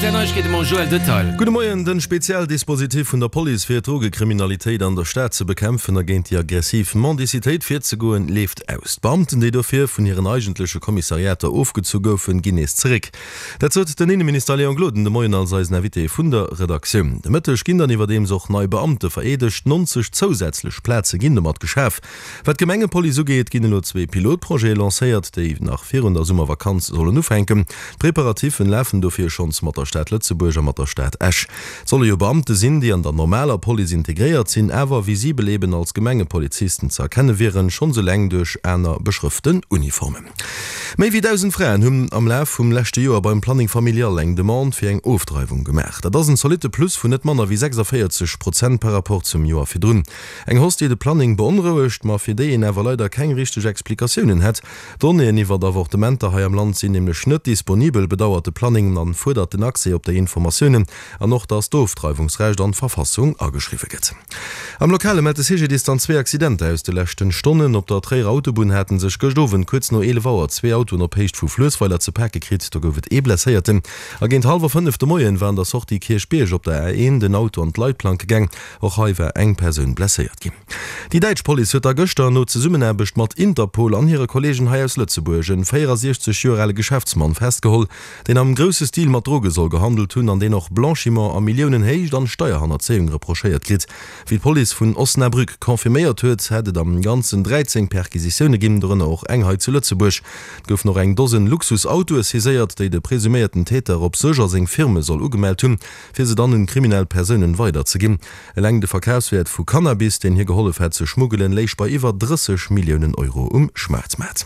Rtl Neiegkeete mam Joël Detail. Gudde Moien, Den Spezialdispositif vun der Police fir d'Drogekriminalitéit an der Stad ze bekämpfen a géint déi aggressiv Mendicitéit virzegoen, leeft aus. D'Beamten, déi dofir vun hiren eigentleche Kommissariater ofgezu goufen, ginn nees zeréck. Dat sot den Inneminister Léon Gloden de Moien als eisen Invité vun der Redaktioun. De Mëtteg ginn dann iwwerdeems och nei Beamte vereedegt. 90 zousätzlech Plaze ginn domat geschaf. Wat d'Gemengepolice ugeet, ginn elo zwee Pilotprojete lancéiert, déi nach virun der Summervakanz sollen ufänken. D'Preparatiffen lafen dofir schonns mat der Stad Lëtzebuerg a mat der Stad Esch. Et solle jo Beamte sinn, déi an der normaler Police integréiert sinn, awer visibel eben als Gemengepolizisten ze erkenne wieren, schonns eleng duerch aner beschrëften Uniformen. Méi wéi 1.000 Fraen hunn am Laf vum leschte Joer beim Planning Familial eng Demande fir eng Ofdreiwung gemaach. Dat ass en zolitte Plus vun net manner wéi 46 Prozent par rapport zum Joer virdrun. Eng Hausse, déi de Planning beonrouegt, ma fir déi een awer leider keng richteg Explikatiounen hätt. D'Donnéeën iwwert Avortementer hei am Land sinn nämlech net disponibel, bedauert de Planning an fuerdert den Accès op déi Informatiounen an och, datt d'Ofdreiwungsrecht an d'Verfassung ageschriwwe gëtt. Am Lokale mellt de CGDIS dann zwee Accidenter aus de leschten Stonnen. Op der Tréierer Autobunn hate sech gëscht Owend kuerz no 11 Auer zwee Autoen op Héicht vu Fluessweiler ze pake kritt. Do gouf et ee Blesséierten. A géint hallwer 5 de Moien war an der Sortie Kierchbierg op der A1 den Auto an d'Leitplanke gaang. Och hei war eng Persoun blesséiert ginn. Déi däitsch Police huet da gëschter no Zesummenaarbecht mat Interpol an hire Kolleegen hei aus Lëtzebuerg en 64 Joer ale Geschäftsmann festgeholl, deen am grousse Stil mat Droge soll gehandelt hunn an deen och Blanchiment a Milliounenhéicht an Steierhannerzéiung reprochéiert kritt. Wéi d'Police vun Osnabrück confirméiert huet, hätt et am Ganzen 13 Perquisitioune ginn, dorënner och eng hei zu Lëtzebuerg. Et goufen och eng Dosen Luxusautoe saiséiert, déi de presuméierten Täter op sech a seng Firme soll ugemellt hunn, fir se dann un kriminell Persounen weiderzeginn. Eleng de Verkafswäert vu Cannabis, deen hie gehollef hätt ze schmuggelen, léich bei iwwer 30 Milliounen Euro um Schwaarzmaart.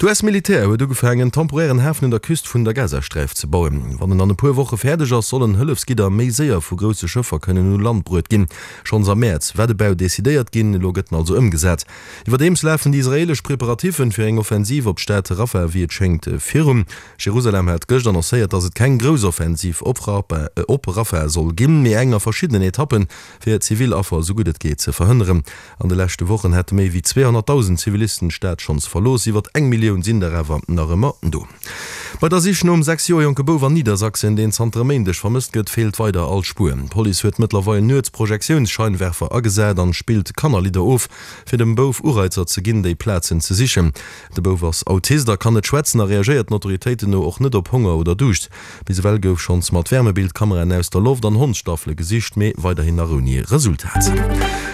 D'US-Militär huet ugefaangen, en temporären Hafen un der Küst vun der Gazasträif ze bauen. Wann en an e puer Woche fäerdeg ass, sollen Hëllefsgidder méi séier vu grousse Schëffer kënnen u Land bruet ginn. Schonns am Mäerz war de Bau decidéiert ginn, elo gëtt en also ëmgesat. Iwwerdeems lafen déi israeelesch Preparatiffen fir eng Offensiv op d'Stad Rafah wéi et schéngt virun. Jerusalem hat gëscht annoncéiert, datt et keng grouss Offensiv op Rafah soll ginn, mee eng a verschiddenen Etappen, fir zivil Affer esou gutt et geet ze verhënneren. An de leschte Wochen hätte méi wéi 200.000 Zivilisten d'Stad schonns verlooss, iwwer eng Millioun sinn der awer nach ëmmer do. Bei der Sich nom 6 Joer jonke Bouf an Niedersachsen, deen zanter e Méindeg vermësst gëtt, feelt weider all Spuer. D'Police huet mëttlerweil nuets Projektiounsscheinwerfer agesat an spillt Kannerlidder of, fir dem Bouf Ureizer ze ginn, déi Plazen ze sichen. De Bouf ass Autist a kann net schwätzen a reagéiert den Autoritéiten no och net op Honger oder Duuscht. Bis ewell gouf schonns mat Wärmebildkameraen aus der Loft an Hondsstaffele gesicht, mee weiderhin nach ouni Resultat.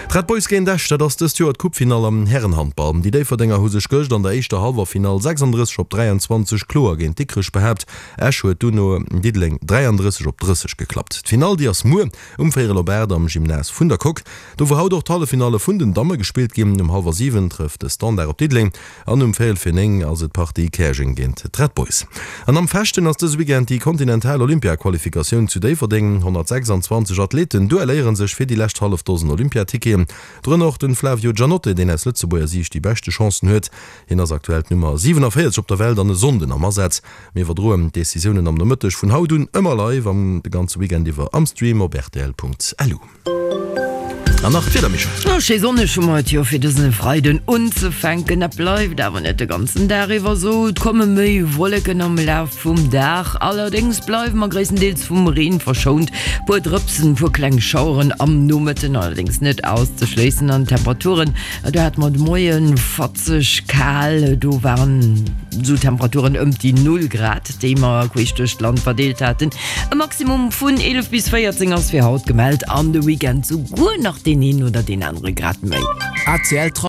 D'Red Boys géint Esch, dat ass dëst Joer d'Coupefinall am Härenhandball. Déi Déifferdenger hu sech gëscht an der éischter Hallwerfinall 36 op 23 kloer géint Dikrech behaapt. Esch huet duerno Diddeleng 33 op 30 geklappt. D'Finall déi ass muer um véierel op 8 am Gymnase vun der Coque. Do wou haut och d'Halleffinalle vun den Damme gespillt ginn. Um hallwer 7 trëfft de Standard op Diddeleng an um véierel fir 9 ass et d'Partie Käerjeng géint d'Red Boys. An am Fechten ass dëse Weekend déi kontinental Olympiaqualifikatioun zu Déifferdeng. 126 Athleten duelléiere sech fir déi lescht hallef Dosen Olympiaticketen. Dorënner och de Flavio Giannotte, deen aus Lëtzebuerger Siicht déi beschte Chancen huet. Hien ass aktuell d'Nummer 47 op der Welt an e Sonnden am Asaz. Mir iwwerdroen d'Decisiounen am Nomëtteg vun haut un ëmmer live an de ganze Weekend iwwer am Stream op rtl.lu. An nach d'Wieder, Michèle. Oh, schéi sonneg hu mer et jo fir dëse Freiden unzefänken. Dat bleift awer net de ganzen Dag iwwer esou. Et komme méi Wolleken am Laf vum Dag, allerdéngs bleiwe mer gréisstendeels vum Reen verschount. Puer Drëpsen, puer kleng Schaueren am Nomëtten allerdéngs net auszeschléissen. An d'Temperaturen, do hate mer de Moie fatzeg kal, do waren esou Temperaturen ëmt déi Null Grad. déi mer queesch duerch d'Land verdeelt haten. E Maximum vun 11 bis 14 ass fir haut gemellt, an de Weekend souguer nach deen een oder deen anere Grad méi. ACL.